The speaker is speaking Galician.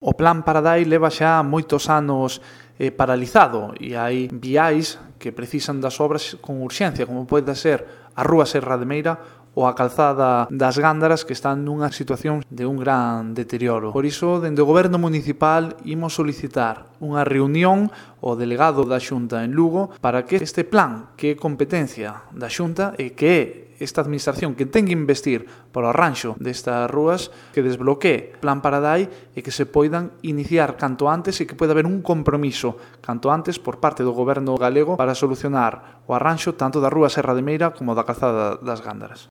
O Plan Paradai leva xa moitos anos paralizado e hai viais que precisan das obras con urxencia, como pode ser a Rúa Serra de Meira ou a calzada das Gándaras, que están nunha situación de un gran deterioro. Por iso, dende o Goberno Municipal, imos solicitar unha reunión ao delegado da Xunta en Lugo para que este plan, que é competencia da Xunta e que é esta administración que ten que investir para o arranxo destas rúas, que desbloquee Plan Paradai e que se poidan iniciar canto antes e que poida haber un compromiso canto antes por parte do Goberno galego para solucionar o arranxo tanto da Rúa Serra de Meira como da calzada das Gándaras.